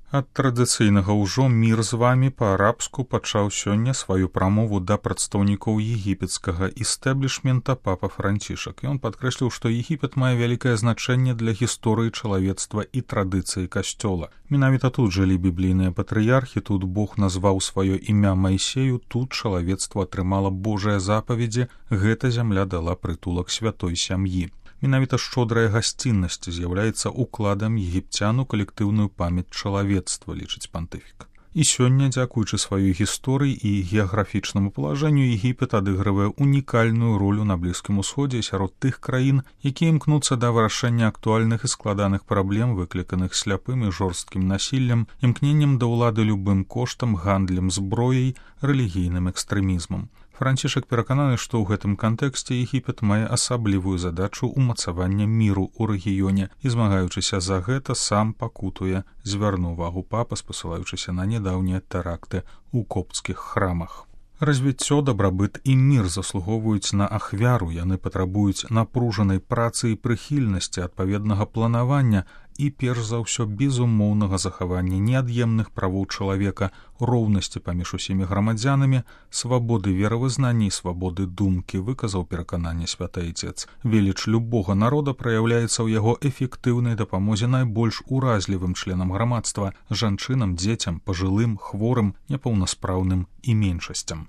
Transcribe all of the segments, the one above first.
Ад традыцыйнага ўжо мір з вамі па-арабску пачаў сёння сваю прамову да прадстаўнікоў егіпецкага істэблішмента папа Францішак. Ён падкрэсліў, што Егіпет мае вялікае значэнне для гісторыі чалавецтва і традыцыі касцёла. Менавіта тут жылі біблійныя патрыярхі, тут Бог назваў сваё імя Майсею, тут чалавецтва атрымала Божыя запаведзі, гэта зямля дала прытулак святой сям'і. Менавіта шчодрая гасціннасць з'яўляецца укладам егіпцян у калектыўную памяць чалавецтва, лічыць пантыфік. І сёння, дзякуючы сваёй гісторыі і геаграфічнаму палажэнню, Егіпет адыгрывае унікальную ролю на Блізкім Усходзе сярод тых краін, якія імкнуцца да вырашэння актуальных і складаных праблем, выкліканых сляпым і жорсткім насіллем, імкненнем да ўлады любым коштам, гандлем зброяй, рэлігійным экстрэмізмам. Францішак перакананы, што ў гэтым кантэксце Егіпет мае асаблівую задачу ўмацавання міру ў рэгіёне і, змагаючыся за гэта, сам пакутуе, звярнуў увагу папа, спасылаючыся на нядаўнія тэракты ў копцкіх храмах. Развіццё, дабрабыт і мір заслугоўваюць на ахвяру, яны патрабуюць напружанай працы і прыхільнасці, адпаведнага планавання і, перш за ўсё, безумоўнага захавання неад'емных правоў чалавека, роўнасці паміж усімі грамадзянамі, свабоды веравызнання і свабоды думкі, выказаў перакананне святы Айцец. Веліч любога народа праяўляецца ў яго эфектыўнай дапамозе найбольш уразлівым членам грамадства, жанчынам, дзецям, пажылым, хворым, непаўнаспраўным і меншасцям.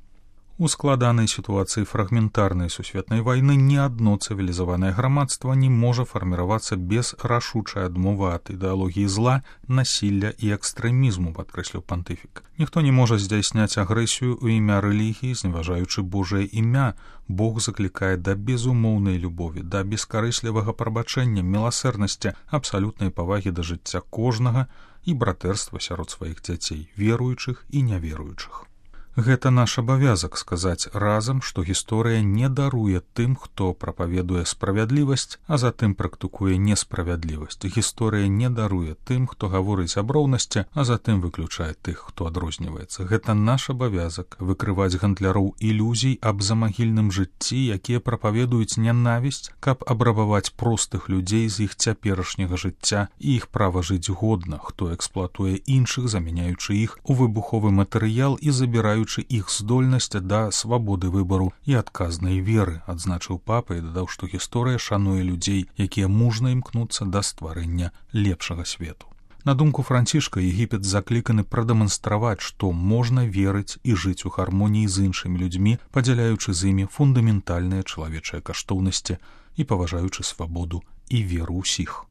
У складанай сітуацыі фрагментарнай сусветнай вайны ні адно цывілізаванае грамадства не можа фарміравацца без рашучай адмовы ад ідэалогіі зла, насілля і экстрэмізму, падкрэсліў пантыфік. Ніхто не можа здзяйсняць агрэсію ў імя рэлігіі, зневажаючы Божае імя. Бог заклікае да безумоўнай любові, да бескарыслівага прабачэння, міласэрнасці, абсалютнай павагі да жыцця кожнага і братэрства сярод сваіх дзяцей, веруючых і няверуючых. Гэта наш абавязак сказаць разам, што гісторыя не даруе тым, хто прапаведуе справядлівасць, а затым практыкуе несправядлівасць. Гісторыя не даруе тым, хто гаворыць аб роўнасці, а затым выключае тых, хто адрозніваецца. Гэта наш абавязак выкрываць гандляроў ілюзій аб замагільным жыцці, якія прапаведуюць нянавісць, каб абрабаваць простых людзей з іх цяперашняга жыцця і іх права жыць годна, хто эксплуатуе іншых, замяняючы іх у выбуховы матэрыял і забіраючы іх здольнасць да свабоды выбару і адказнай веры, адзначыў папа і дадаў, што гісторыя шануе людзей, якія мужна імкнуцца да стварэння лепшага свету. На думку Францішка, Егіпет закліканы прадэманстраваць, што можна верыць і жыць у гармоніі з іншымі людзьмі, падзяляючы з імі фундаментальныя чалавечыя каштоўнасці і паважаючы свабоду і веру ўсіх.